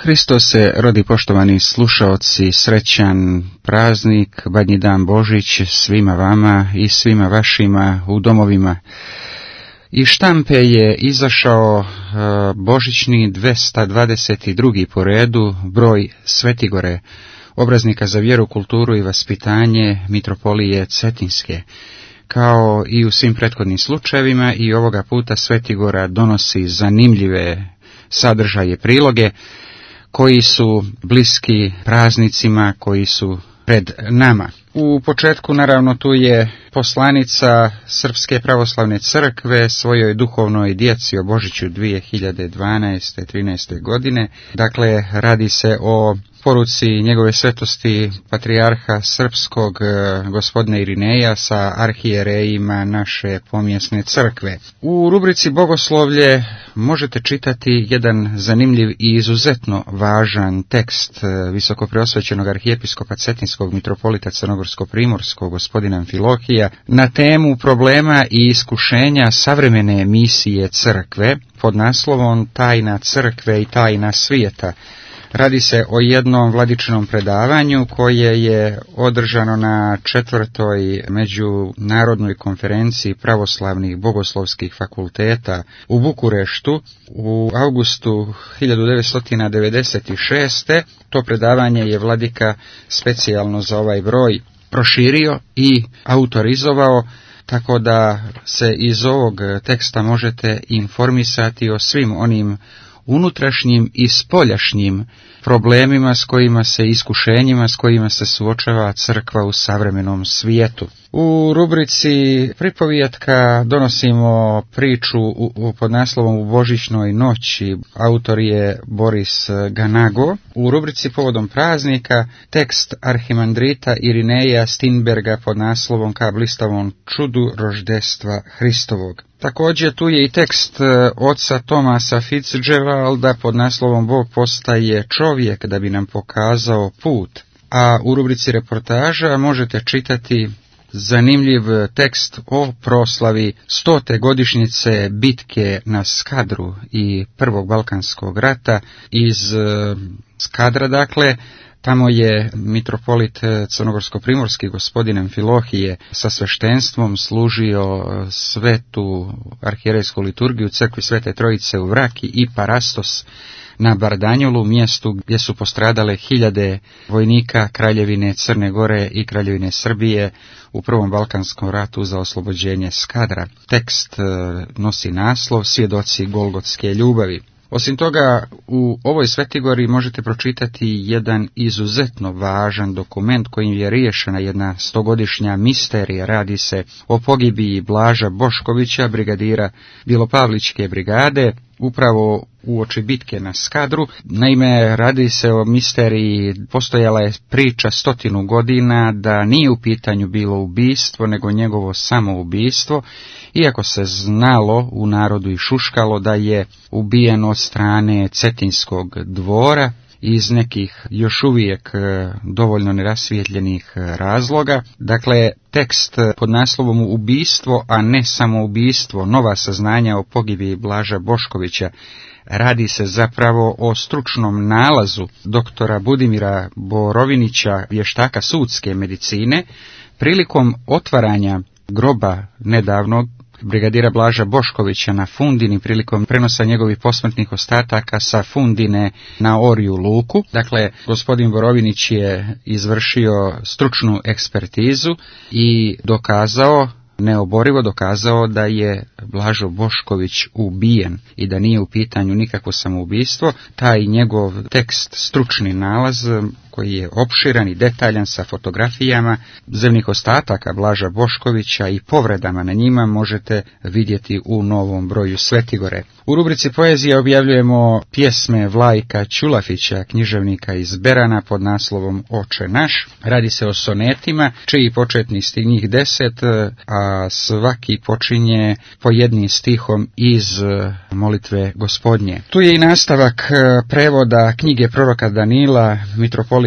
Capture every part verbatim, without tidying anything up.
Hristos se rodi, poštovani slušaoci, srećan praznik, Badnji dan Božić svima vama i svima vašima u domovima. Iz štampe je izašao božićni dvesta dvadeset drugi po redu broj Svetigore, obraznika za vjeru, kulturu i vaspitanje mitropolije Cetinske. Kao i u svim prethodnim slučajevima, i ovoga puta Svetigora donosi zanimljive sadržaje, priloge koji su bliski praznicima koji su pred nama. U početku, naravno, tu je poslanica Srpske pravoslavne crkve svojoj duhovnoj djeci o Božiću dvije hiljade dvanaeste trinaeste godine. Dakle, radi se o poruci njegove svetosti patrijarha srpskog gospodina Irineja sa arhijerejima naše pomjesne crkve. U rubrici Bogoslovlje možete čitati jedan zanimljiv i izuzetno važan tekst visokopreosvećenog arhijepiskopa Cetinskog mitropolita Crnogorsko-primorskog gospodina Amfilohija na temu problema i iskušenja savremene misije crkve pod naslovom Tajna crkve i tajna svijeta. Radi se o jednom vladičinom predavanju koje je održano na četvrtoj međunarodnoj konferenciji pravoslavnih bogoslovskih fakulteta u Bukureštu u avgustu hiljadu devetsto devedeset šeste. To predavanje je vladika specijalno za ovaj broj proširio i autorizovao, tako da se iz ovog teksta možete informisati o svim onim unutrašnjim i spoljašnjim problemima s kojima se, iskušenjima s kojima se suočava crkva u savremenom svijetu. U rubrici Pripovijetka donosimo priču u, u, pod naslovom U božićnoj noći. Autor je Boris Ganago. U rubrici Povodom praznika tekst arhimandrita Irineja Stinberga pod naslovom Ka blistavom čudu roždestva Hristovog. Također tu je i tekst oca Thomasa Fitzgeralda pod naslovom Bog postaje čovjek da bi nam pokazao put. A u rubrici reportaža možete čitati zanimljiv tekst o proslavi stote godišnjice bitke na Skadru i Prvog Balkanskog rata iz Skadra. Dakle, tamo je mitropolit Crnogorsko-primorski gospodin Amfilohije sa sveštenstvom služio svetu arhijerejsku liturgiju crkvi Svete Trojice u Vraki i Parastos na Bardanjolu, mjestu gdje su postradale hiljade vojnika Kraljevine Crne Gore i Kraljevine Srbije u Prvom Balkanskom ratu za oslobođenje Skadra. Tekst nosi naslov Svjedoci Golgotske ljubavi. Osim toga, u ovoj Svetigori možete pročitati jedan izuzetno važan dokument kojim je riješena jedna stogodišnja misterija. Radi se o pogibiji Blaža Boškovića, brigadira Bilopavličke brigade, upravo uoči bitke na Skadru. Naime, radi se o misteriji, postojala je priča stotinu godina da nije u pitanju bilo ubistvo, nego njegovo samoubistvo, iako se znalo u narodu i šuškalo da je ubijen od strane Cetinskog dvora iz nekih još uvijek dovoljno nerasvijetljenih razloga. Dakle, tekst pod naslovom Ubistvo, a ne samoubistvo, nova saznanja o pogibiji Blaža Boškovića. Radi se zapravo o stručnom nalazu doktora Budimira Borovinića, vještaka sudske medicine, prilikom otvaranja groba nedavnog brigadira Blaža Boškovića na Fundini, prilikom prenosa njegovih posmrtnih ostataka sa Fundine na Orju luku. Dakle, gospodin Borovinić je izvršio stručnu ekspertizu i dokazao, neoborivo dokazao da je Blažo Bošković ubijen i da nije u pitanju nikakvo samoubistvo. Taj njegov tekst, stručni nalaz, koji je opširan i detaljan sa fotografijama zemnih ostataka Blaža Boškovića i povredama na njima, možete vidjeti u novom broju Svetigore. U rubrici Poezija objavljujemo pjesme Vlajka Ćulafića, književnika iz Berana, pod naslovom Oče naš. Radi se o sonetima, čiji početni stih, njih deset, a svaki počinje po jednim stihom iz molitve Gospodnje. Tu je i nastavak prevoda knjige proroka Danila, mitropolita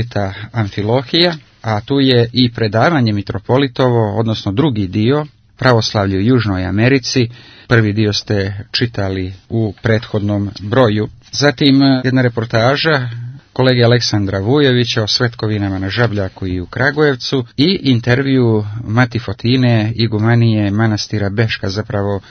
Amfilohija, a tu je i predavanje mitropolitovo, odnosno drugi dio, pravoslavlje u Južnoj Americi. Prvi dio ste čitali u prethodnom broju. Zatim jedna reportaža kolege Aleksandra Vujovića o svetkovinama na Žabljaku i u Kragujevcu i intervju Mati Fotine, igumanije manastira Beška, zapravo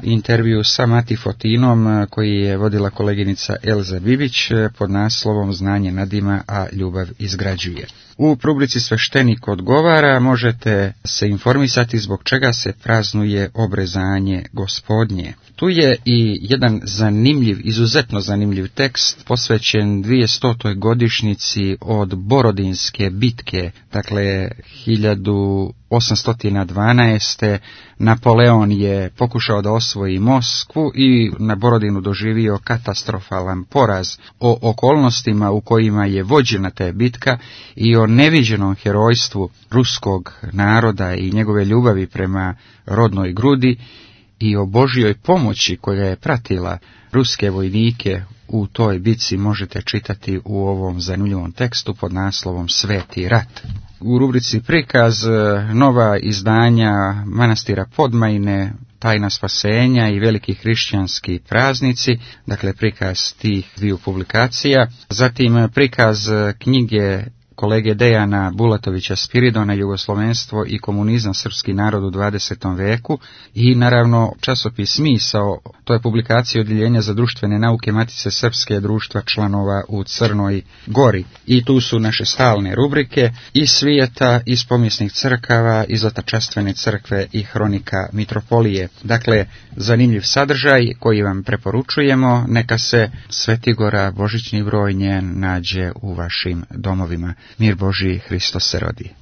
intervju sa Mati Fotinom koji je vodila koleginica Elza Bibić pod naslovom Znanje nadima, a ljubav izgrađuje. U rubrici Sveštenik odgovara možete se informisati zbog čega se praznuje obrezanje Gospodnje. Tu je i jedan zanimljiv, izuzetno zanimljiv tekst posvećen dvijestotoj godišnjici od Borodinske bitke, dakle hiljadu osamsto dvanaeste. Napoleon je pokušao da osvoji Moskvu i na Borodinu doživio katastrofalan poraz. O okolnostima u kojima je vođena ta bitka i o neviđenom herojstvu ruskog naroda i njegove ljubavi prema rodnoj grudi i o Božjoj pomoći koja je pratila ruske vojnike u toj bitci možete čitati u ovom zanimljivom tekstu pod naslovom Sveti rat. U rubrici Prikaz nova izdanja manastira Podmajne, Tajna spasenja i veliki hrišćanski praznici, dakle prikaz tih dviju publikacija. Zatim prikaz knjige kolege Dejana Bulatovića Spiridona, Jugoslovenstvo i komunizam, srpski narod u dvadesetom veku, i naravno časopis Misao, to je publikacija Odjeljenja za društvene nauke Matice Srpske društva članova u Crnoj Gori. I tu su naše stalne rubrike iz svijeta, iz pomijesnih crkava, iz Otačastvene crkve i Hronika Mitropolije. Dakle, zanimljiv sadržaj koji vam preporučujemo, neka se Svetigora božićni broj njen nađe u vašim domovima. Mir Božji, Hristos se rodi.